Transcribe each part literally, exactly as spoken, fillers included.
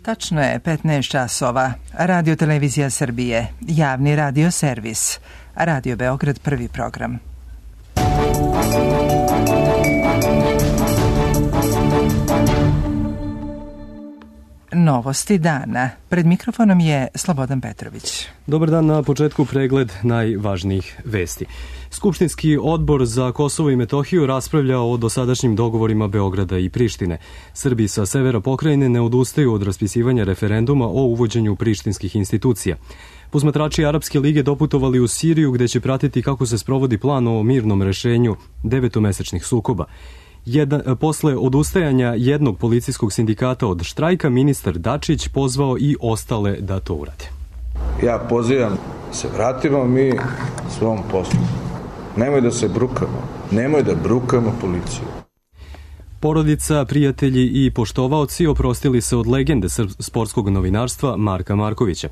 Tačno je petnaest časova. Radio Televizija Srbije, javni radio servis. Radio Beograd, prvi program. Novosti dana. Pred mikrofonom je Slobodan Petrović. Dobar dan, na početku pregled najvažnijih vesti. Skupštinski odbor za Kosovo i Metohiju raspravlja o dosadašnjim dogovorima Beograda i Prištine. Srbi sa severa pokrajine ne odustaju od raspisivanja referenduma o uvođenju prištinskih institucija. Posmatrači Arapske lige doputovali u Siriju gde će pratiti kako se sprovodi plan o mirnom rešenju devetomesečnih sukoba. Jedan, posle odustajanja jednog policijskog sindikata od štrajka, ministar Dačić pozvao i ostale da to urade. Ja pozivam se vratimo mi svom poslu. Nemoj da se brukamo. Nemoj da brukamo policiju. Porodica, prijatelji i poštovaoci oprostili se od legende sportskog novinarstva Marka Markovića.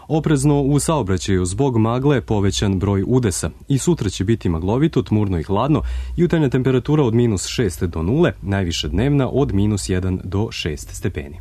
Oprezno u saobraćaju zbog magle povećan broj udesa. I sutra će biti maglovito, tmurno i hladno, jutarnja temperatura od minus šest do nule, najviše dnevna od minus jedan do šest stepeni.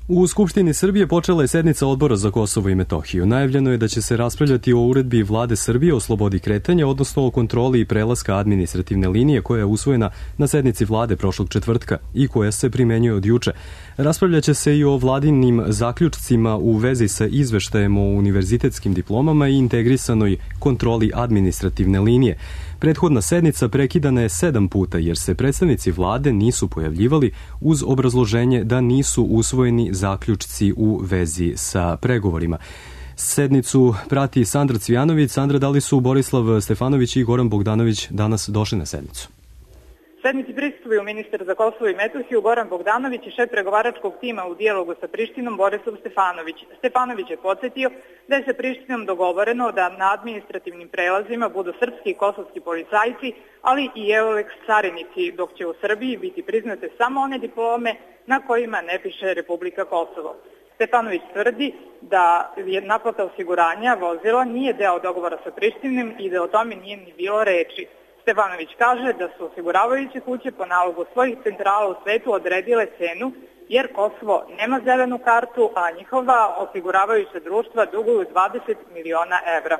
U Skupštini Srbije počela je sednica Odbora za Kosovo i Metohiju. Najavljeno je da će se raspravljati o uredbi Vlade Srbije o slobodi kretanja, odnosno o kontroli i prelaska administrativne linije koja je usvojena na sednici Vlade prošlog četvrtka i koja se primenjuje od juče. Raspravljaće se i o vladinim zaključcima u vezi sa izveštajem o univerzitetskim diplomama i integrisanoj kontroli administrativne linije. Prethodna sednica prekidana je sedam puta jer se predstavnici vlade nisu pojavljivali uz obrazloženje da nisu usvojeni zaključci u vezi sa pregovorima. Sednicu prati Sandra Cvijanović. Sandra, da li su Borislav Stefanović i Goran Bogdanović danas došli na sednicu? Sednici prisustvuju ministar za Kosovo i Metohiju Goran Bogdanović i šef pregovaračkog tima u dijalogu sa Prištinom Borislav Stefanović. Stefanović je podsjetio da je sa Prištinom dogovoreno da na administrativnim prelazima budu srpski i kosovski policajci, ali i Euleks carinici, dok će u Srbiji biti priznate samo one diplome na kojima ne piše Republika Kosovo. Stefanović tvrdi da je naplata osiguranja vozila nije deo dogovora sa Prištinom i da o tome nije ni bilo reči. Stefanović kaže da su osiguravajuće kuće po nalogu svojih centrala u svetu odredile cenu jer Kosovo nema zelenu kartu, a njihova osiguravajuća društva duguju dvadeset miliona evra.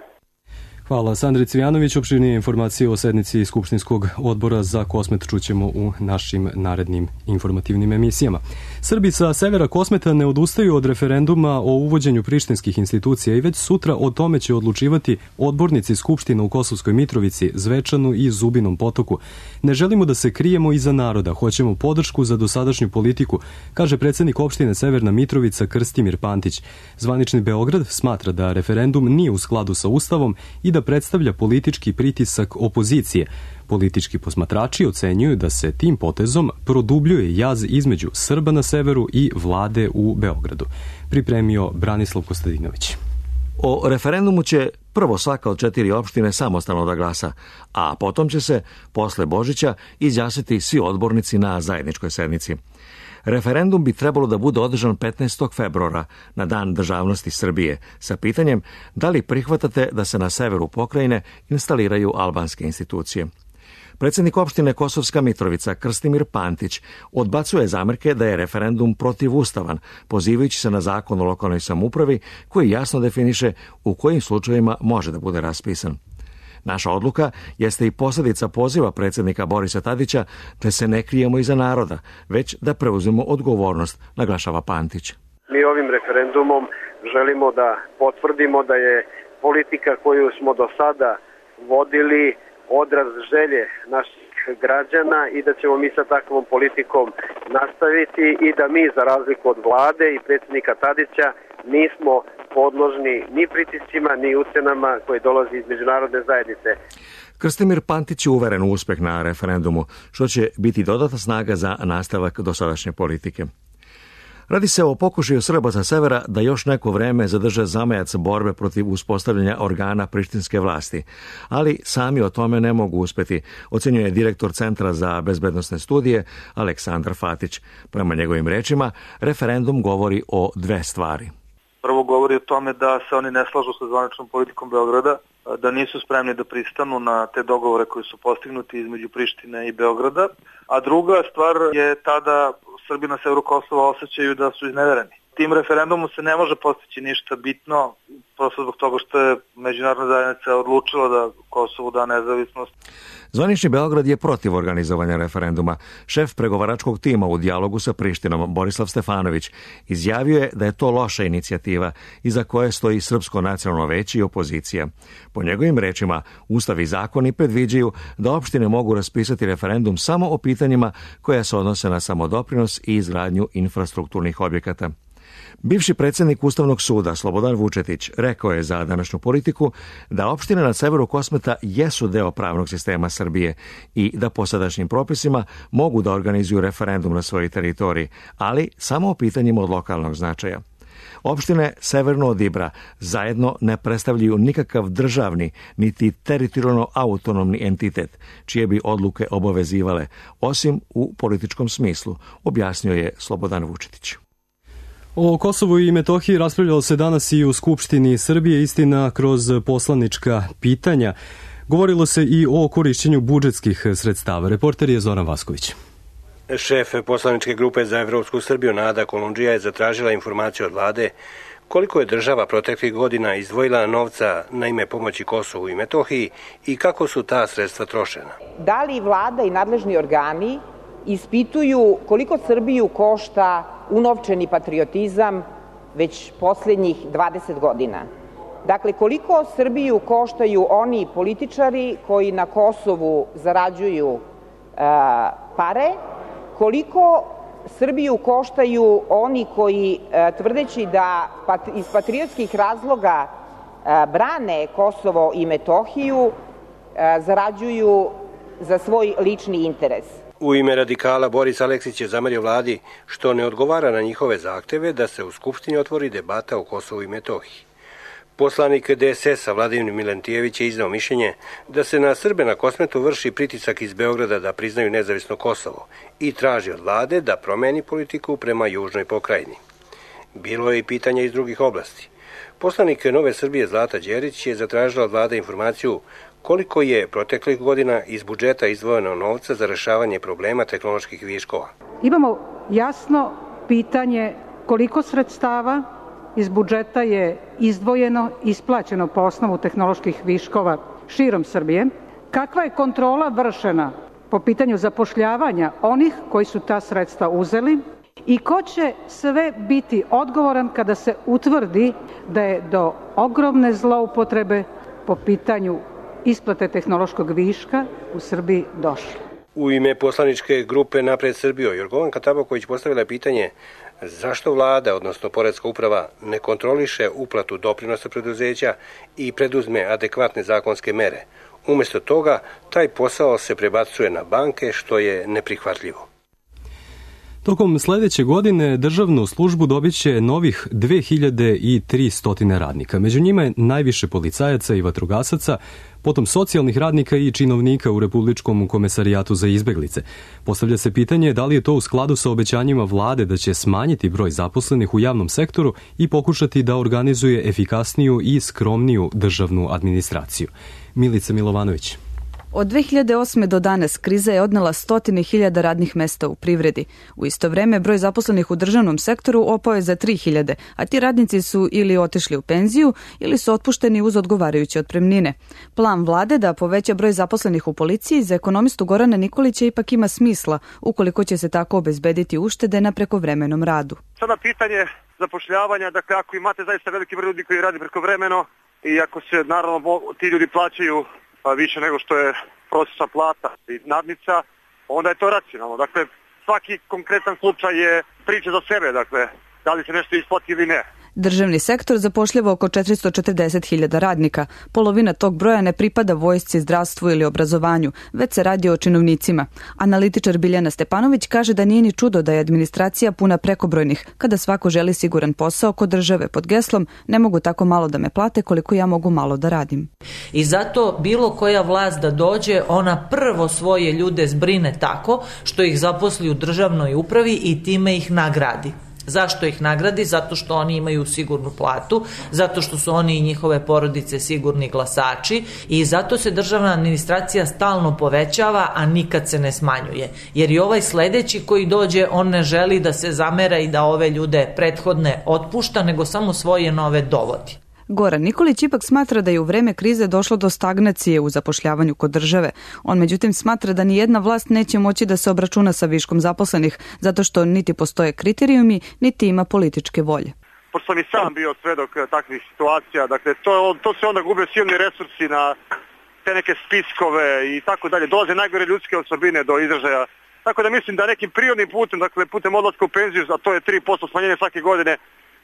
Hvala Sandri Cvijanović. Opširnije informacije o sednici Skupštinskog odbora za Kosmet čućemo u našim narednim informativnim emisijama. Srbi sa severa Kosmeta ne odustaju od referenduma o uvođenju prištinskih institucija i već sutra o tome će odlučivati odbornici Skupština u Kosovskoj Mitrovici, Zvečanu i Zubinom Potoku. Ne želimo da se krijemo iza naroda, hoćemo podršku za dosadašnju politiku, kaže predsednik opštine Severna Mitrovica Krstimir Pantić. Zvanični Beograd smatra da referendum nije u skladu sa Ustavom i da predstavlja politički pritisak opozicije. Politički posmatrači ocenjuju da se tim potezom produbljuje jaz između Srba na severu i vlade u Beogradu. Pripremio Branislav Kostadinović. O referendumu će prvo svaka od četiri opštine samostalno da glasa, a potom će se posle Božića izjasniti svi odbornici na zajedničkoj sednici. Referendum bi trebalo da bude održan petnaestog februara, na dan državnosti Srbije, sa pitanjem da li prihvatate da se na severu pokrajine instaliraju albanske institucije. Predsednik opštine Kosovska Mitrovica Krstimir Pantić odbacuje zamerke da je referendum protivustavan, pozivajući se na zakon o lokalnoj samoupravi koji jasno definiše u kojim slučajevima može da bude raspisan. Naša odluka jeste i posljedica poziva predsednika Borisa Tadića da se ne krijemo iza naroda, već da preuzmemo odgovornost, naglašava Pantić. Mi ovim referendumom želimo da potvrdimo da je politika koju smo do sada vodili odraz želje naših građana i da ćemo mi sa takvom politikom nastaviti i da mi, za razliku od vlade i predsednika Tadića, nismo podložni ni pritiscima, ni ucenama koje dolazi iz međunarodne zajednice. Krstimir Pantić je uveren u uspeh na referendumu, što će biti dodatna snaga za nastavak dosadašnje politike. Radi se o pokušaju Srba sa severa da još neko vreme zadrže zamajac borbe protiv uspostavljanja organa prištinske vlasti, ali sami o tome ne mogu uspeti, ocenjuje direktor Centra za bezbednosne studije Aleksandar Fatić. Prema njegovim rečima, referendum govori o dve stvari. Prvo govori o tome da se oni ne slažu sa zvaničnom politikom Beograda, da nisu spremni da pristanu na te dogovore koji su postignuti između Prištine i Beograda, a druga stvar je ta da Srbi na severu Kosova osjećaju da su iznevereni. Tim referendumom se ne može postići ništa bitno, prosto zbog toga što je međunarodna zajednica odlučila da Kosovu da nezavisnost. Zvanični Beograd je protiv organizovanja referenduma. Šef pregovaračkog tima u dijalogu sa Prištinom, Borislav Stefanović, izjavio je da je to loša inicijativa iza koje stoji Srpsko nacionalno veće i opozicija. Po njegovim rečima, Ustav i zakoni predviđaju da opštine mogu raspisati referendum samo o pitanjima koja se odnose na samodoprinos i izgradnju infrastrukturnih objekata. Bivši predsjednik Ustavnog suda Slobodan Vučetić rekao je za današnju Politiku da opštine na severu Kosmeta jesu deo pravnog sistema Srbije i da po sadašnjim propisima mogu da organizuju referendum na svojoj teritoriji, ali samo o pitanjima od lokalnog značaja. Opštine severno od Ibra zajedno ne predstavljaju nikakav državni niti teritorijalno autonomni entitet, čije bi odluke obavezivale, osim u političkom smislu, objasnio je Slobodan Vučetić. O Kosovu i Metohiji raspravljalo se danas i u Skupštini Srbije, istina kroz poslanička pitanja. Govorilo se i o korišćenju budžetskih sredstava. Reporter je Zoran Vasković. Šef poslaničke grupe za Evropsku Srbiju Nada Kolundžija je zatražila informaciju od vlade koliko je država proteklih godina izdvojila novca na ime pomoći Kosovu i Metohiji i kako su ta sredstva trošena. Da li vlada i nadležni organi ispituju koliko Srbiju košta unovčeni patriotizam već posljednjih dvadeset godina? Dakle, koliko Srbiju koštaju oni političari koji na Kosovu zarađuju e, pare, koliko Srbiju koštaju oni koji, e, tvrdeći da pat, iz patriotskih razloga e, brane Kosovo i Metohiju, e, zarađuju za svoj lični interes. U ime radikala Boris Aleksić je zamerio vladi što ne odgovara na njihove zahteve da se u Skupštini otvori debata o Kosovu i Metohiji. Poslanik D S S-a Vladimir Milentijević je iznao mišljenje da se na Srbe na Kosmetu vrši pritisak iz Beograda da priznaju nezavisno Kosovo i traži od vlade da promeni politiku prema južnoj pokrajini. Bilo je i pitanja iz drugih oblasti. Poslanik Nove Srbije Zlata Đerić je zatražila od vlade informaciju koliko je proteklih godina iz budžeta izdvojeno novca za rešavanje problema tehnoloških viškova. Imamo jasno pitanje koliko sredstava iz budžeta je izdvojeno, isplaćeno po osnovu tehnoloških viškova širom Srbije, kakva je kontrola vršena po pitanju zapošljavanja onih koji su ta sredstva uzeli i ko će sve biti odgovoran kada se utvrdi da je do ogromne zloupotrebe po pitanju isplate tehnološkog viška u Srbiji došlo. U ime poslaničke grupe Napred Srbijo, Jorgovanka Tabaković postavila pitanje zašto vlada, odnosno poreska uprava, ne kontroliše uplatu doprinosa preduzeća i preduzme adekvatne zakonske mere. Umesto toga, taj posao se prebacuje na banke, što je neprihvatljivo. Tokom sledeće godine državnu službu dobit će novih dve hiljade tristo radnika. Među njima je najviše policajaca i vatrogasaca, potom socijalnih radnika i činovnika u Republičkom komesarijatu za izbeglice. Postavlja se pitanje da li je to u skladu sa obećanjima vlade da će smanjiti broj zaposlenih u javnom sektoru i pokušati da organizuje efikasniju i skromniju državnu administraciju. Milica Milovanović. Od dve hiljade osme do danas kriza je odnela stotine hiljada radnih mesta u privredi. U isto vreme broj zaposlenih u državnom sektoru opao je za tri hiljade, a ti radnici su ili otišli u penziju ili su otpušteni uz odgovarajuće otpremnine. Plan vlade da poveća broj zaposlenih u policiji za ekonomistu Gorana Nikolića ipak ima smisla, ukoliko će se tako obezbediti uštede na prekovremenom radu. Sada pitanje zapošljavanja, dakle ako imate zaista veliki broj ljudi koji radi prekovremeno i ako se naravno ti ljudi plaćaju pa više nego što je prosječna plata i nadnica, onda je to racionalno. Dakle, svaki konkretan slučaj je priča za sebe, dakle, da li se nešto isplati ili ne. Državni sektor zapošljava oko četiristo četrdeset hiljada radnika. Polovina tog broja ne pripada vojsci, zdravstvu ili obrazovanju, već se radi o činovnicima. Analitičar Biljana Stepanović kaže da nije ni čudo da je administracija puna prekobrojnih, kada svako želi siguran posao kod države pod geslom ne mogu tako malo da me plate koliko ja mogu malo da radim. I zato bilo koja vlast da dođe, ona prvo svoje ljude zbrine tako što ih zaposli u državnoj upravi i time ih nagradi. Zašto ih nagradi? Zato što oni imaju sigurnu platu, zato što su oni i njihove porodice sigurni glasači i zato se državna administracija stalno povećava, a nikad se ne smanjuje. Jer i ovaj sledeći koji dođe, on ne želi da se zamera i da ove ljude prethodne otpušta, nego samo svoje nove dovodi. Goran Nikolić ipak smatra da je u vreme krize došlo do stagnacije u zapošljavanju kod države. On međutim smatra da ni jedna vlast neće moći da se obračuna sa viškom zaposlenih, zato što niti postoje kriterijumi, niti ima političke volje. Pošto sam i sam bio svedok takvih situacija, dakle to, to se onda gube silni resursi na te neke spiskove i tako dalje. Dolaze najgore ljudske osobine do izražaja. Tako da mislim da nekim prirodnim putem, dakle putem odlaska u penziju, a to je tri posto smanjenje svake godine,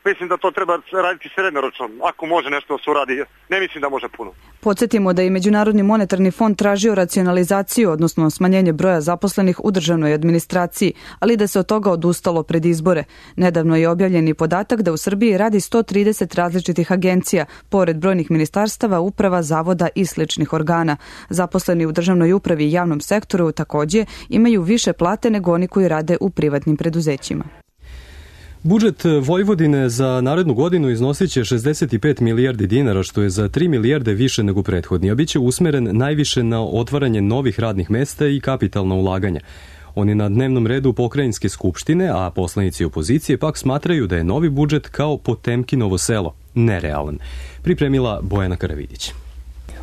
mislim da to treba raditi srednjoročno, ako može nešto da se uradi. Ne mislim da može puno. Podsjetimo da je Međunarodni monetarni fond tražio racionalizaciju, odnosno smanjenje broja zaposlenih u državnoj administraciji, ali da se od toga odustalo pred izbore. Nedavno je objavljen i podatak da u Srbiji radi sto trideset različitih agencija, pored brojnih ministarstava, uprava, zavoda i sličnih organa. Zaposleni u državnoj upravi i javnom sektoru takođe imaju više plate nego oni koji rade u privatnim preduzećima. Budžet Vojvodine za narednu godinu iznosit će šezdeset pet milijardi dinara, što je za tri milijarde više nego prethodni, a bit će usmeren najviše na otvaranje novih radnih mesta i kapitalna ulaganja. On je na dnevnom redu pokrajinske skupštine, a poslanici opozicije pak smatraju da je novi budžet kao Potemkinovo selo, nerealan. Pripremila Bojana Karavidić.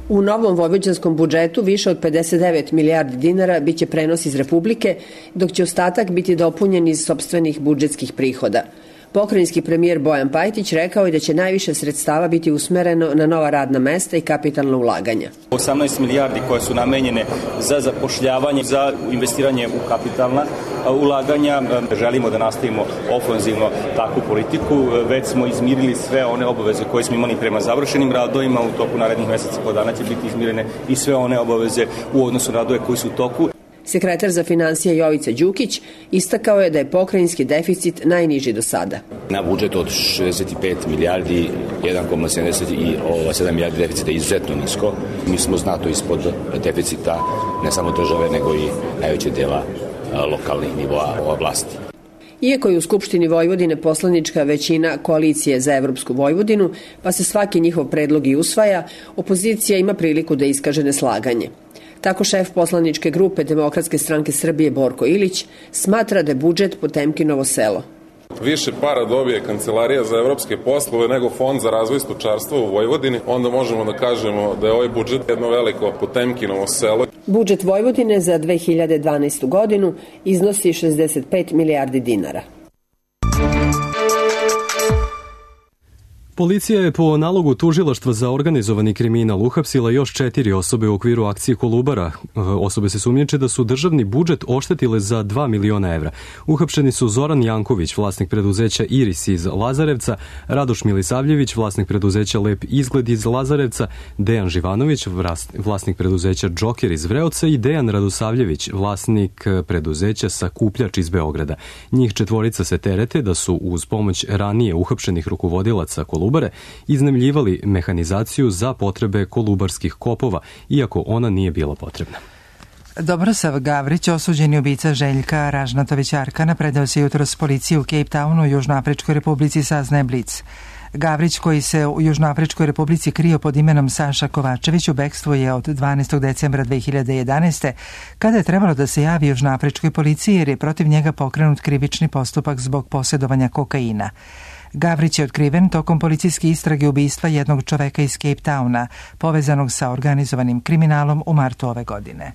U novom vojvođanskom budžetu više od pedeset devet milijardi dinara biće prenos iz Republike, dok će ostatak biti dopunjen iz sopstvenih budžetskih prihoda. Pokrajinski premijer Bojan Pajtić rekao je da će najviše sredstava biti usmereno na nova radna mesta i kapitalna ulaganja. osamnaest milijardi koje su namenjene za zapošljavanje, za investiranje u kapitalna ulaganja. Želimo da nastavimo ofanzivno takvu politiku. Već smo izmirili sve one obaveze koje smo imali prema završenim radovima. U toku narednih meseca po dana će biti izmirene i sve one obaveze u odnosu na radove koji su u toku. Sekretar za finansije Jovica Đukić istakao je da je pokrajinski deficit najniži do sada. Na budžet od šezdeset pet milijardi, jedan zarez sedamdeset sedam milijardi deficita je izuzetno nisko. Mi smo znato ispod deficita ne samo države, nego i najveće dela lokalnih nivoa vlasti. Iako je u Skupštini Vojvodine poslanička većina koalicije za Evropsku Vojvodinu, pa se svaki njihov predlog i usvaja, opozicija ima priliku da iskaže neslaganje. Tako šef poslaničke grupe Demokratske stranke Srbije Borko Ilić smatra da je budžet Potemkinovo selo. Više para dobije Kancelarija za evropske poslove nego Fond za razvoj stočarstva u Vojvodini, onda možemo da kažemo da je ovaj budžet jedno veliko Potemkinovo selo. Budžet Vojvodine za dve hiljade dvanaestu godinu iznosi šezdeset pet milijardi dinara. Policija je po nalogu tužilaštva za organizovani kriminal uhapsila još četiri osobe u okviru akcije Kolubara. Osobe se sumnjiče da su državni budžet oštetile za dva miliona evra. Uhapšeni su Zoran Janković, vlasnik preduzeća Iris iz Lazarevca, Radoš Milisavljević, vlasnik preduzeća Lep izgled iz Lazarevca, Dejan Živanović, vlasnik preduzeća Džoker iz Vreoca i Dejan Radosavljević, vlasnik preduzeća Sakupljač iz Beograda. Njih četvorica se terete da su uz pomoć ranije uhapšenih rukovodilaca Kolubara Kolubare iznajmljivali mehanizaciju za potrebe kolubarskih kopova, iako ona nije bila potrebna. Dobrosav Gavrić, osuđeni ubica Željka Ražnatović Arkana, predao se jutros policiji u Cape Townu u Južnoafričkoj republici, saznaje Blic. Gavrić, koji se u Južnoafričkoj republici krio pod imenom Saša Kovačević, u bekstvu je od dvanaestog decembra dve hiljade jedanaeste. kada je trebalo da se javi Južnoafričkoj policiji jer je protiv njega pokrenut krivični postupak zbog posjedovanja kokaina. Gavrić je otkriven tokom policijske istrage ubistva jednog čoveka iz Cape Towna, povezanog sa organizovanim kriminalom u martu ove godine.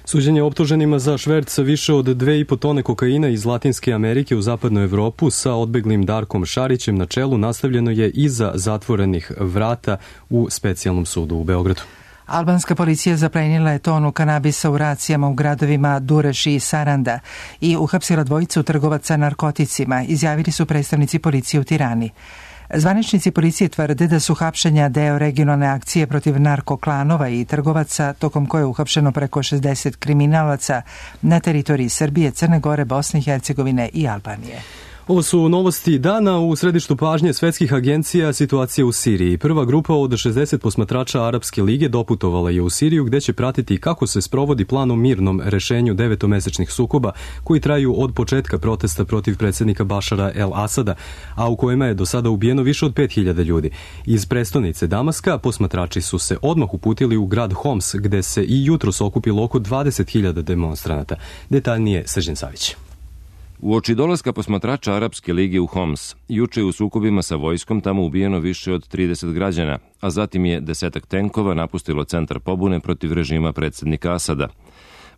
Suđenje optuženima za šverc više od dve i po tone kokaina iz Latinske Amerike u zapadnu Evropu sa odbeglim Darkom Šarićem na čelu nastavljeno je iza zatvorenih vrata u specijalnom sudu u Beogradu. Albanska policija zaplenila je tonu kanabisa u racijama u gradovima Dureš i Saranda i uhapsila dvojicu trgovaca narkoticima, izjavili su predstavnici policije u Tirani. Zvaničnici policije tvrde da su hapšenja deo regionalne akcije protiv narkoklanova i trgovaca, tokom koje je uhapšeno preko šezdeset kriminalaca na teritoriji Srbije, Crne Gore, Bosne i Hercegovine i Albanije. Ovo su novosti dana. U središtu pažnje svetskih agencija situacija u Siriji. Prva grupa od šezdeset posmatrača Arapske lige doputovala je u Siriju, gde će pratiti kako se sprovodi plan o mirnom rešenju devetomesečnih sukoba koji traju od početka protesta protiv predsjednika Bašara el-Asada, a u kojima je do sada ubijeno više od pet hiljada ljudi. Iz prestonice Damaska posmatrači su se odmah uputili u grad Homs, gde se i jutros okupilo oko dvadeset hiljada demonstranata. Detaljnije Srđan Savić. Uoči dolaska posmatrača Arapske lige u Homs, juče u sukobima sa vojskom tamo ubijeno više od trideset građana, a zatim je desetak tenkova napustilo centar pobune protiv režima predsjednika Asada.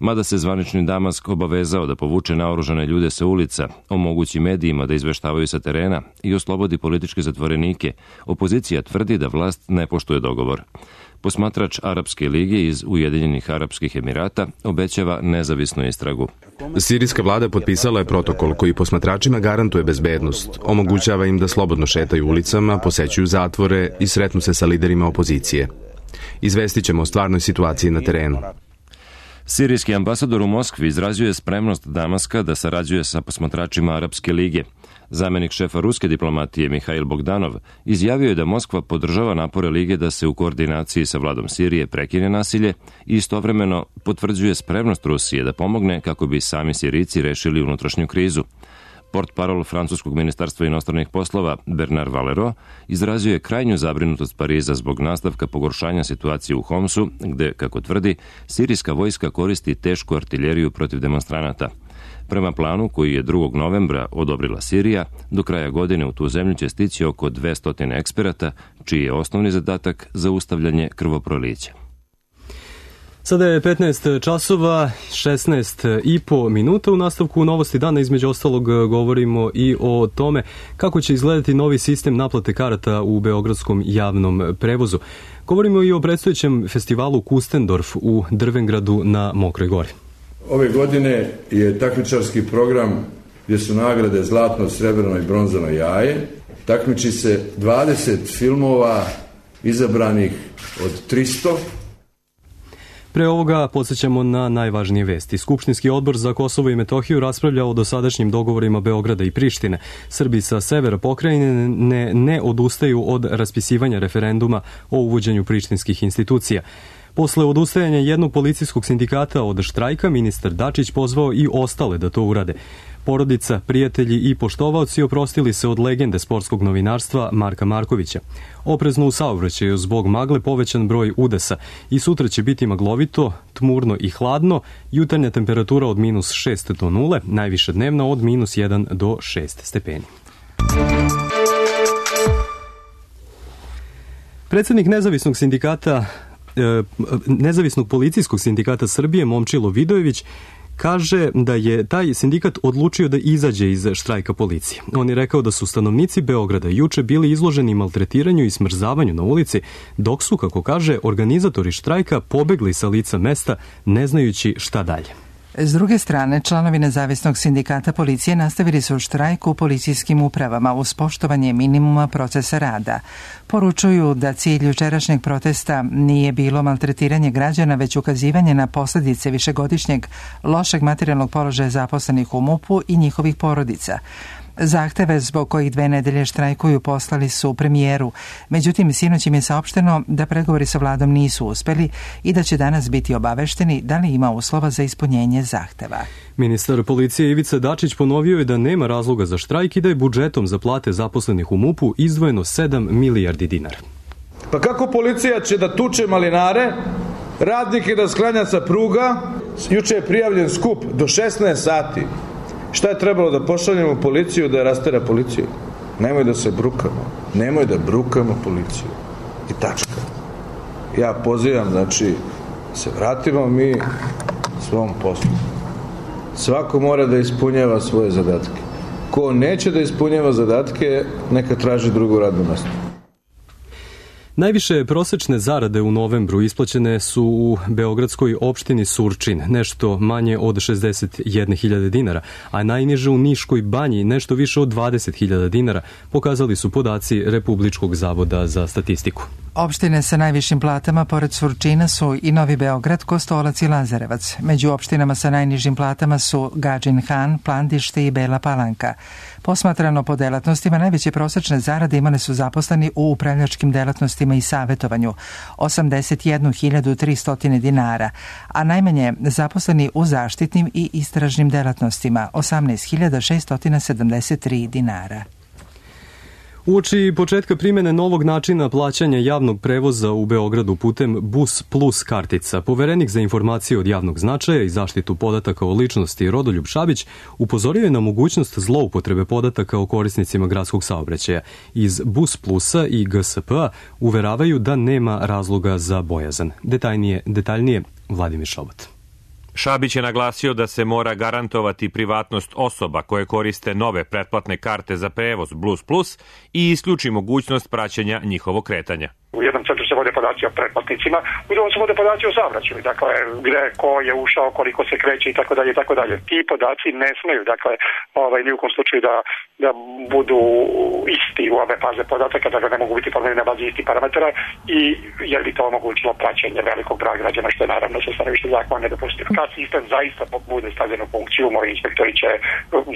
Mada se zvanični Damask obavezao da povuče naoružane ljude sa ulica, omogući medijima da izveštavaju sa terena i oslobodi političke zatvorenike, opozicija tvrdi da vlast ne poštuje dogovor. Posmatrač Arapske lige iz Ujedinjenih Arapskih Emirata obećava nezavisnu istragu. Sirijska vlada potpisala je protokol koji posmatračima garantuje bezbednost, omogućava im da slobodno šetaju ulicama, posećuju zatvore i sretnu se sa liderima opozicije. Izvestit ćemo o stvarnoj situaciji na terenu. Sirijski ambasador u Moskvi izrazio je spremnost Damaska da sarađuje sa posmatračima Arapske lige. Zamenik šefa ruske diplomatije Mihail Bogdanov izjavio je da Moskva podržava napore lige da se u koordinaciji sa vladom Sirije prekine nasilje i istovremeno potvrđuje spremnost Rusije da pomogne kako bi sami Sirijci rešili unutrašnju krizu. Portparol francuskog ministarstva inostranih poslova Bernard Valero izrazio je krajnju zabrinutost Pariza zbog nastavka pogoršanja situacije u Homsu, gde, kako tvrdi, sirijska vojska koristi tešku artiljeriju protiv demonstranata. Prema planu koji je drugog novembra odobrila Sirija, do kraja godine u tu zemlju će stići oko dvesta eksperata, čiji je osnovni zadatak zaustavljanje krvoprolića. Sada je petnaest časova, šesnaest i po minuta. U nastavku novosti dana između ostalog govorimo i o tome kako će izgledati novi sistem naplate karata u beogradskom javnom prevozu. Govorimo i o predstojećem festivalu Kustendorf u Drvengradu na Mokroj Gori. Ove godine je takmičarski program gdje su nagrade zlatno, srebrno i bronzano jaje. Takmiči se dvadeset filmova izabranih od tristo. Pre ovoga podsjećamo na najvažnije vesti. Skupštinski odbor za Kosovo i Metohiju raspravljao o dosadašnjim dogovorima Beograda i Prištine. Srbi sa severa pokrajine ne, ne odustaju od raspisivanja referenduma o uvođenju prištinskih institucija. Posle odustajanja jednog policijskog sindikata od štrajka, ministar Dačić pozvao i ostale da to urade. Porodica, prijatelji i poštovaoci oprostili se od legende sportskog novinarstva Marka Markovića. Oprezno u saobraćaju zbog magle povećan broj udesa i sutra će biti maglovito, tmurno i hladno, jutarnja temperatura od minus šest do nule, najviša dnevna od minus jedan do šest stepeni. Predsjednik nezavisnog sindikata Nezavisnog policijskog sindikata Srbije Momčilo Vidojević kaže da je taj sindikat odlučio da izađe iz štrajka policije. On je rekao da su stanovnici Beograda juče bili izloženi maltretiranju i smrzavanju na ulici, dok su, kako kaže, organizatori štrajka pobegli sa lica mesta ne znajući šta dalje. S druge strane, članovi nezavisnog sindikata policije nastavili su štrajk u policijskim upravama uz poštovanje minimuma procesa rada. Poručuju da cilj jučerašnjeg protesta nije bilo maltretiranje građana, već ukazivanje na posljedice višegodišnjeg lošeg materijalnog položaja zaposlenih u MUP-u i njihovih porodica. Zahteve zbog kojih dve nedelje štrajkuju poslali su premijeru. Međutim, sinoć im je saopšteno da pregovori sa vladom nisu uspeli i da će danas biti obavešteni da li ima uslova za ispunjenje zahteva. Ministar policije Ivica Dačić ponovio je da nema razloga za štrajk i da je budžetom za plate zaposlenih u MUP-u izdvojeno sedam milijardi dinara. Pa kako policija će da tuče malinare, radnike da sklanja sa pruga? Juče je prijavljen skup do šesnaest sati. Šta je trebalo da pošaljemo policiju da rastera policiju? Nemoj da se brukamo. Nemoj da brukamo policiju. I tačka. Ja pozivam, znači, se vratimo mi svom poslu. Svako mora da ispunjava svoje zadatke. Ko neće da ispunjava zadatke, neka traži drugo radno mesto. Najviše prosečne zarade u novembru isplaćene su u beogradskoj opštini Surčin, nešto manje od šezdeset jedne hiljade dinara, a najniže u Niškoj banji nešto više od dvadeset hiljada dinara, pokazali su podaci Republičkog zavoda za statistiku. Opštine sa najvišim platama pored Surčina su i Novi Beograd, Kostolac i Lazarevac. Među opštinama sa najnižim platama su Gadžin Han, Plandište i Bela Palanka. Posmatrano po delatnostima, najveće prosečne zarade imali su zaposleni u upravljačkim delatnostima i savetovanju, osamdeset jednu hiljadu tristo dinara, a najmanje zaposleni u zaštitnim i istražnim delatnostima, osamnaest hiljada šesto sedamdeset tri dinara. Uoči početka primjene novog načina plaćanja javnog prevoza u Beogradu putem Bus Plus kartica, poverenik za informacije od javnog značaja i zaštitu podataka o ličnosti Rodoljub Šabić upozorio je na mogućnost zloupotrebe podataka o korisnicima gradskog saobraćaja. Iz Bus Plusa i G S P-a uveravaju da nema razloga za bojazan. Detaljnije, detaljnije Vladimir Šobot. Šabić je naglasio da se mora garantovati privatnost osoba koje koriste nove pretplatne karte za prevoz Bus Plus i isključi mogućnost praćenja njihovog kretanja. U jednom centru se vode podaci o pretplatnicima, u drugom se vode podaci o saobraćaju, dakle gde, ko je ušao, koliko se kreće i tako dalje i tako dalje. Ti podaci ne smeju, dakle, ovaj, ni u kom slučaju da, da budu isti u ove faze podataka, dakle ne mogu biti formirani na bazi istih parametara i jer bi to omogućilo praćenje velikog broja građana, što je naravno sa stanovišta zakona nedopustivo. Kad sistem zaista bude stavljen u funkciju, moji inspektori će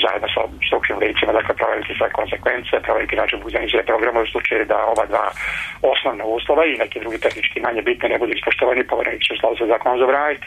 zajedno sa stručnim licima, dakle, proveriti sve konsekvence, proveriti način funkcionisanja programa u slučaju da ova dva osnovna uslova i neki drugi tehnički manje bitne ne budu ispoštovani, poverenik će u skladu sa zakonom zabraniti.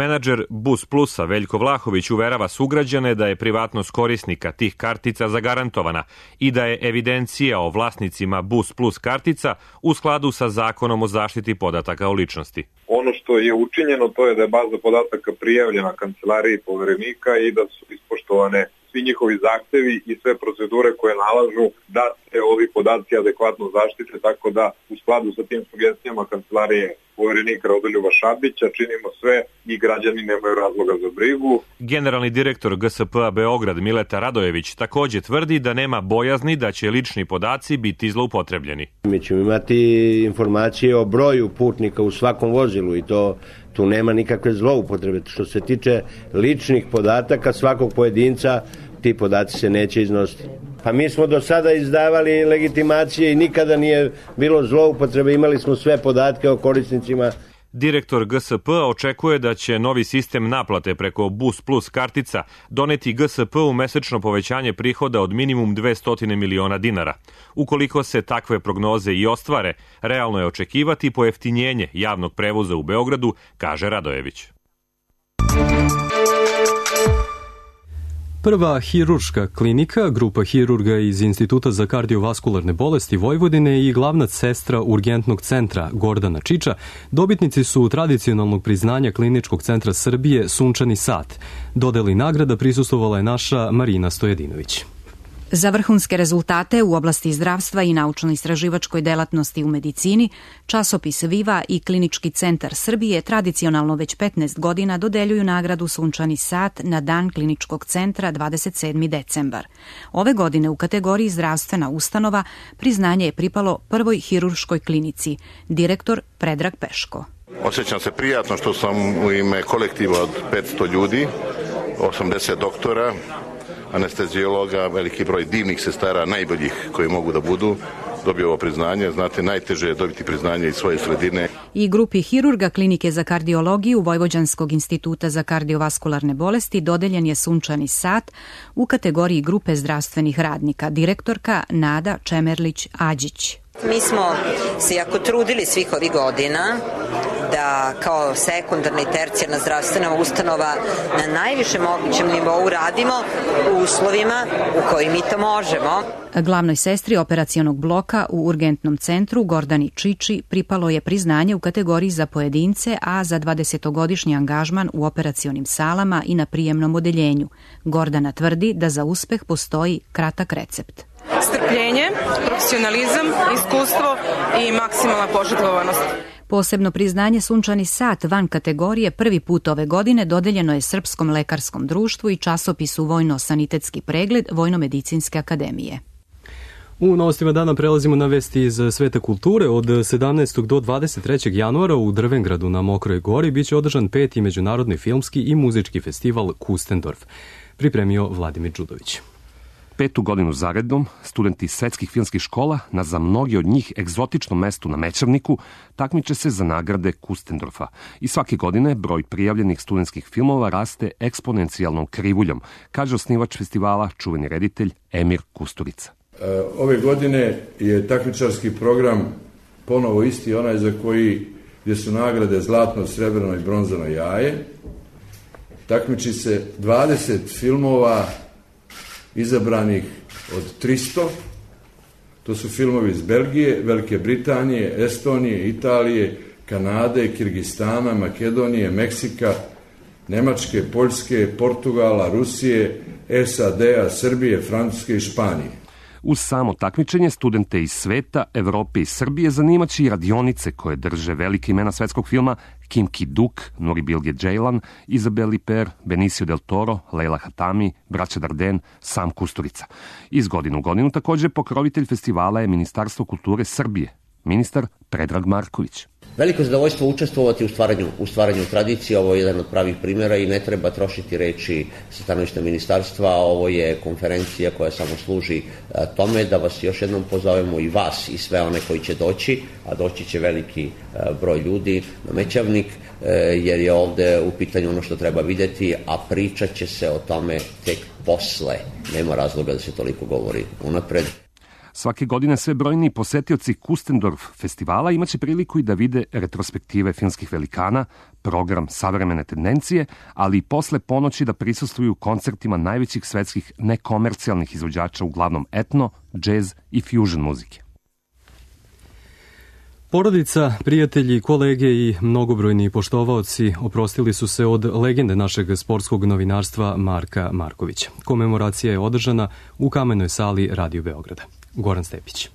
Menadžer Bus Plusa Veljko Vlahović uverava sugrađane da je privatnost korisnika tih kartica zagarantovana i da je evidencija o vlasnicima Bus Plus kartica u skladu sa zakonom o zaštiti podataka o ličnosti. Ono što je učinjeno to je da je baza podataka prijavljena kancelariji poverenika i da su ispoštovane svi njihovi zahtevi i sve procedure koje nalažu da se ovi podaci adekvatno zaštite, tako da u skladu sa tim sugestijama kancelarije poverenika Rodoljuba Šabića činimo sve i građani nemaju razloga za brigu. Generalni direktor G S P-a Beograd Mileta Radojević također tvrdi da nema bojazni da će lični podaci biti zloupotrebljeni. Mi ćemo imati informacije o broju putnika u svakom vozilu i to tu nema nikakve zloupotrebe. Što se tiče ličnih podataka svakog pojedinca, ti podaci se neće iznositi. Pa mi smo do sada izdavali legitimacije i nikada nije bilo zloupotrebe, imali smo sve podatke o korisnicima. Direktor G S P-a očekuje da će novi sistem naplate preko Bus Plus kartica doneti G S P-u mesečno povećanje prihoda od minimum dvesta miliona dinara. Ukoliko se takve prognoze i ostvare, realno je očekivati pojeftinjenje javnog prevoza u Beogradu, kaže Radojević. Prva hirurška klinika, grupa hirurga iz Instituta za kardiovaskularne bolesti Vojvodine i glavna sestra urgentnog centra Gordana Čiča dobitnici su tradicionalnog priznanja Kliničkog centra Srbije Sunčani sat. Dodeli nagrada prisustvovala je naša Marina Stojedinović. Za vrhunske rezultate u oblasti zdravstva i naučno-istraživačkoj delatnosti u medicini, časopis Viva i Klinički centar Srbije tradicionalno već petnaest godina dodeljuju nagradu Sunčani sat na dan Kliničkog centra dvadeset sedmi decembar. Ove godine u kategoriji zdravstvena ustanova priznanje je pripalo prvoj hirurškoj klinici, direktor Predrag Peško. Osjećam se prijatno što sam u ime kolektiva od petsto ljudi, osamdeset doktora, anestezijologa, veliki broj divnih sestara, najboljih koji mogu da budu, dobio ovo priznanje. Znate, najteže je dobiti priznanje iz svoje sredine. I grupi hirurga Klinike za kardiologiju Vojvođanskog instituta za kardiovaskularne bolesti dodeljen je Sunčani sat u kategoriji grupe zdravstvenih radnika, direktorka Nada Čemerlić-Ađić. Mi smo se jako trudili svih ovih godina da kao sekundarna i tercijarna zdravstvena ustanova na najvišem mogućem nivou radimo u uslovima u kojim mi to možemo. Glavnoj sestri operacionog bloka u urgentnom centru Gordani Čiči pripalo je priznanje u kategoriji za pojedince, a za dvadesetogodišnji angažman u operacionim salama i na prijemnom odeljenju. Gordana tvrdi da za uspeh postoji kratak recept. Strpljenje, profesionalizam, iskustvo i maksimalna požrtvovanost. Posebno priznanje Sunčani sat van kategorije prvi put ove godine dodeljeno je Srpskom lekarskom društvu i časopisu Vojno-sanitetski pregled Vojno-medicinske akademije. U novostima dana prelazimo na vesti iz sveta kulture. Od sedamnaestog do dvadeset trećeg januara u Drvengradu na Mokroj gori biće održan peti međunarodni filmski i muzički festival Kustendorf. Pripremio Vladimir Đudović. Petu godinu zaredom, studenti svetskih filmskih škola na za mnogi od njih egzotičnom mestu na Mećavniku takmiče se za nagrade Kustendorfa. I svake godine broj prijavljenih studentskih filmova raste eksponencijalnom krivuljom, kaže osnivač festivala, čuveni reditelj Emir Kusturica. Ove godine je takmičarski program ponovo isti, onaj za koji gdje su nagrade zlatno, srebrno i bronzano jaje. Takmiči se dvadeset filmova izabranih od tristo. To su filmovi iz Belgije, Velike Britanije, Estonije, Italije, Kanade, Kirgistana, Makedonije, Meksika, Nemačke, Poljske, Portugala, Rusije, S A D-a, Srbije, Francuske i Španije. Uz samo takmičenje, studente iz sveta, Evrope i Srbije zanimaće i radionice koje drže velike imena svetskog filma Kim Ki-duk, Nuri Bilge Ceylan, Isabelle Huppert, Benicio del Toro, Leila Hatami, braća Darden, sam Kusturica. Iz godinu u godinu također pokrovitelj festivala je Ministarstvo kulture Srbije, ministar Predrag Marković. Veliko zadovoljstvo učestvovati u stvaranju, u stvaranju tradicije, ovo je jedan od pravih primjera i ne treba trošiti reči sa stanovišta ministarstva, ovo je konferencija koja samo služi tome da vas još jednom pozovemo i vas i sve one koji će doći, a doći će veliki broj ljudi na Mećavnik, jer je ovde u pitanju ono što treba vidjeti, a pričat će se o tome tek posle. Nema razloga da se toliko govori unapred. Svake godine sve brojniji posetioci Kustendorf festivala imaće priliku i da vide retrospektive filmskih velikana, program savremene tendencije, ali i posle ponoći da prisustvuju koncertima najvećih svetskih nekomercijalnih izvođača, uglavnom etno, džez i fusion muzike. Porodica, prijatelji, kolege i mnogobrojni poštovaoci oprostili su se od legende našeg sportskog novinarstva Marka Markovića. Komemoracija je održana u kamenoj sali Radio Beograda. Goran Stepić.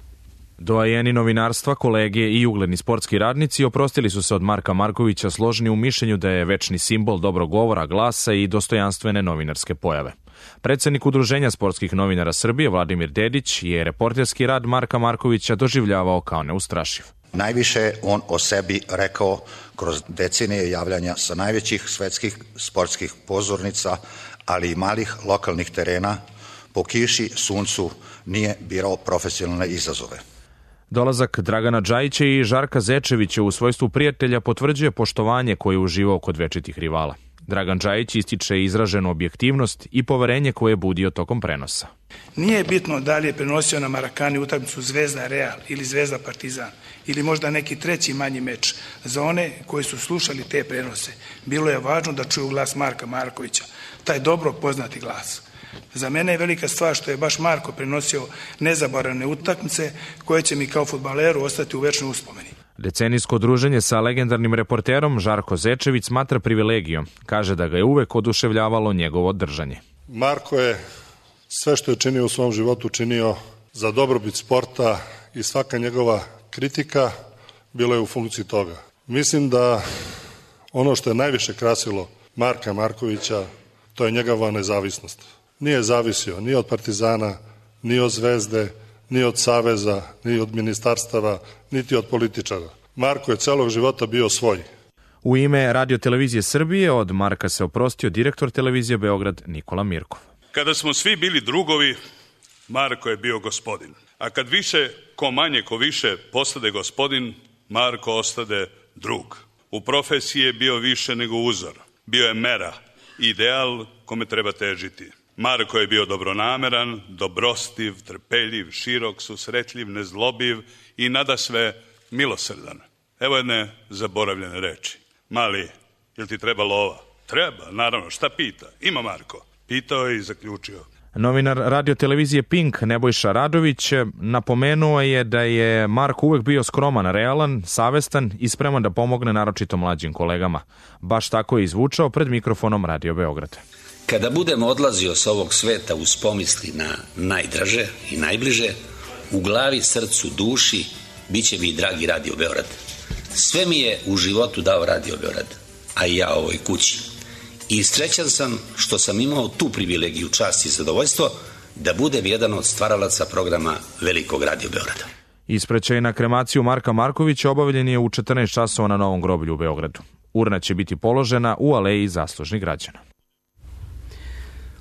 Doajeni novinarstva, kolege i ugledni sportski radnici oprostili su se od Marka Markovića, složni u mišljenju da je večni simbol dobrog govora, glasa i dostojanstvene novinarske pojave. Predsednik Udruženja sportskih novinara Srbije Vladimir Dedić je reporterski rad Marka Markovića doživljavao kao neustrašiv. Najviše on o sebi rekao kroz decenije javljanja sa najvećih svetskih sportskih pozornica, ali i malih lokalnih terena, po kiši, suncu, nije birao profesionalne izazove. Dolazak Dragana Džajića i Žarka Zečevića u svojstvu prijatelja potvrđuje poštovanje koje je uživao kod večitih rivala. Dragan Džajić ističe izraženu objektivnost i poverenje koje je budio tokom prenosa. Nije bitno da li je prenosio na Marakani utakmicu Zvezda Real ili Zvezda Partizan ili možda neki treći manji meč. Za one koji su slušali te prenose, bilo je važno da čuju glas Marka Markovića, taj dobro poznati glas. Za mene je velika stvar što je baš Marko prenosio nezaboravne utakmice koje će mi kao fudbaleru ostati u večnoj uspomeni. Decenijsko druženje sa legendarnim reporterom Žarko Zečević smatra privilegijom. Kaže da ga je uvek oduševljavalo njegovo držanje. Marko je sve što je činio u svom životu činio za dobrobit sporta i svaka njegova kritika bila je u funkciji toga. Mislim da ono što je najviše krasilo Marka Markovića, to je njegova nezavisnost. Nije zavisio ni od Partizana, ni od Zvezde, ni od Saveza, ni od ministarstava, niti od političara. Marko je celog života bio svoj. U ime Radio televizije Srbije od Marka se oprostio direktor televizije Beograd Nikola Mirkov. Kada smo svi bili drugovi, Marko je bio gospodin. A kad više, ko manje, ko više postade gospodin, Marko ostade drug. U profesiji je bio više nego uzor. Bio je mera, ideal kome treba težiti. Marko je bio dobronameran, dobrostiv, trpeljiv, širok, susretljiv, nezlobiv i nadasve milosrdan. Evo jedne zaboravljene reči. Mali, jel ti treba lova? Treba, naravno, šta pita? Ima Marko. Pitao je i zaključio. Novinar radio televizije Pink Nebojša Radović napomenuo je da je Marko uvek bio skroman, realan, savestan i spreman da pomogne naročito mlađim kolegama. Baš tako je izvučao pred mikrofonom Radio Beograd. Kada budem odlazio s ovog sveta uz pomisli na najdraže i najbliže, u glavi, srcu, duši, bit će mi dragi Radio Beograd. Sve mi je u životu dao Radio Beograd, a i ja ovoj kući. I srećan sam što sam imao tu privilegiju, čast i zadovoljstvo da budem jedan od stvaralaca programa Velikog Radio Beograda. Ispraćaj na kremaciju Marka Markovića obavljen je u četrnaest časova na Novom groblju u Beogradu. Urna će biti položena u aleji zaslužnih građana.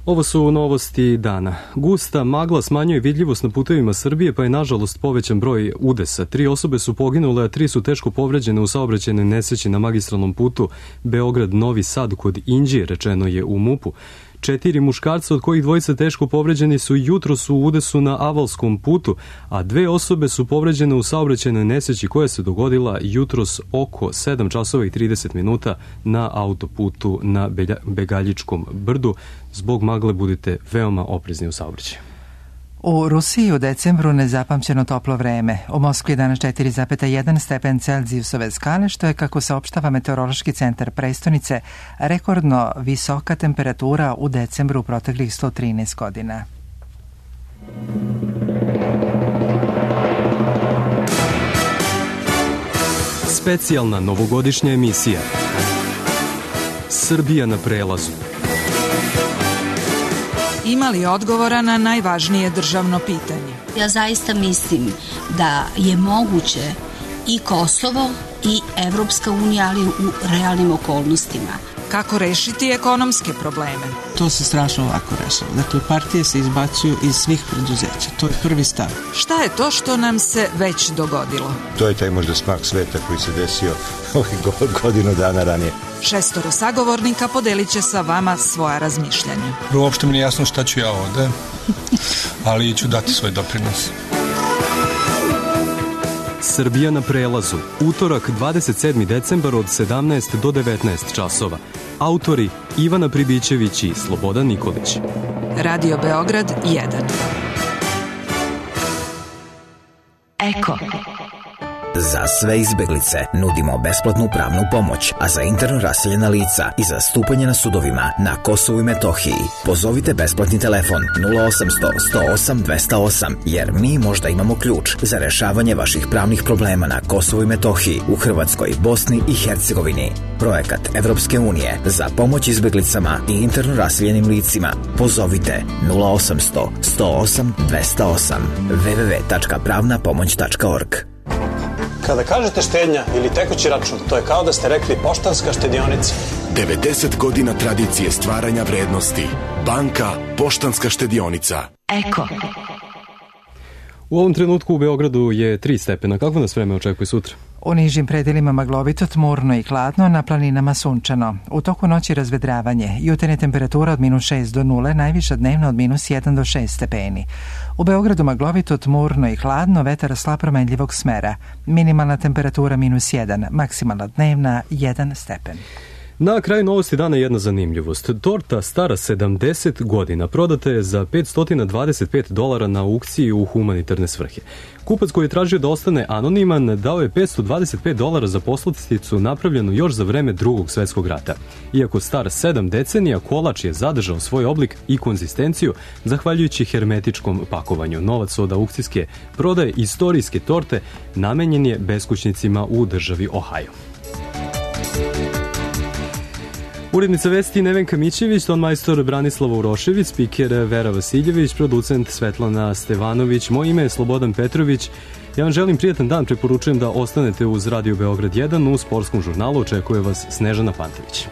Ovo su novosti dana. Gusta magla smanjuje vidljivost na putevima Srbije, pa je nažalost povećan broj udesa. Tri osobe su poginule, a tri su teško povređene u saobraćajnoj nesreći na magistralnom putu Beograd-Novi Sad kod Inđije, rečeno je u MUP-u. Četiri muškarca, od kojih dvojica teško povređeni, su jutros u udesu na Avalskom putu, a dve osobe su povređene u saobraćajnoj nesreći koja se dogodila jutros oko sedam časova i trideset minuta na autoputu na Begaljičkom brdu. Zbog magle budite veoma oprezni u saobraćaju. U Rusiji u decembru nezapamćeno toplo vreme. U Moskvi je danas četiri zarez jedan stepen Celzijusove skale, što je, kako saopštava Meteorološki centar prestonice, rekordno visoka temperatura u decembru proteklih sto trinaest godina. Specijalna novogodišnja emisija Srbija na prelazu. Ima li odgovora na najvažnije državno pitanje? Ja zaista mislim da je moguće i Kosovo i Evropska unija, ali u realnim okolnostima. Kako rešiti ekonomske probleme? To se strašno ovako rešava. Dakle, partije se izbacuju iz svih preduzeća. To je prvi stav. Šta je to što nam se već dogodilo? To je taj možda smak sveta koji se desio ovih godinu dana ranije. Šestoro sagovornika podelit će sa vama svoja razmišljanja. Uopšte mi nije jasno šta ću ja ovde, ali ću dati svoj doprinos. Srbija na prelazu. Utorak, dvadeset sedmi decembar od sedamnaest do devetnaest časova. Autori Ivana Pribićević i Slobodan Nikolić. Radio Beograd jedan. Eko. Za sve izbeglice nudimo besplatnu pravnu pomoć, a za interno raseljena lica i zastupanje na sudovima na Kosovu i Metohiji pozovite besplatni telefon nula osamsto sto osam dvesta osam, jer mi možda imamo ključ za rešavanje vaših pravnih problema na Kosovu i Metohiji, u Hrvatskoj, Bosni i Hercegovini. Projekat Evropske unije za pomoć izbeglicama i interno raseljenim licima. Pozovite nula osamsto sto osam dvesta osam w w w tačka pravna pomoć tačka org. Kada kažete štednja ili tekući račun, to je kao da ste rekli Poštanska štedionica. devedeset godina tradicije stvaranja vrednosti. Banka Poštanska štedionica. Eko. U ovom trenutku u Beogradu je tri stepena. Kako nas vreme očekuje sutra? U nižim predelima maglovito, tmurno i hladno, na planinama sunčano. U toku noći razvedravanje. Jutarnja temperatura od minus šest do nule, najviša dnevna od minus jedan do šest stepeni. U Beogradu maglovito, tmurno i hladno, vetar slab promenljivog smera. Minimalna temperatura minus jedan, maksimalna dnevna jedan stepen. Na kraju novosti dana jedna zanimljivost. Torta stara sedamdeset godina prodata je za petsto dvadeset pet dolara na aukciji u humanitarne svrhe. Kupac koji je tražio da ostane anoniman dao je petsto dvadeset pet dolara za poslasticu napravljenu još za vreme Drugog svetskog rata. Iako star sedam decenija, kolač je zadržao svoj oblik i konzistenciju zahvaljujući hermetičkom pakovanju. Novac od aukcijske prodaje istorijske torte namenjen je beskućnicima u državi Ohio. Urednica vesti Nevenka Mićević, tonmajstor Branislava Urošević, spiker Vera Vasiljević, producent Svetlana Stevanović, moje ime je Slobodan Petrović. Ja vam želim prijatan dan, preporučujem da ostanete uz Radio Beograd jedan, u sportskom žurnalu očekuje vas Snežana Pantević.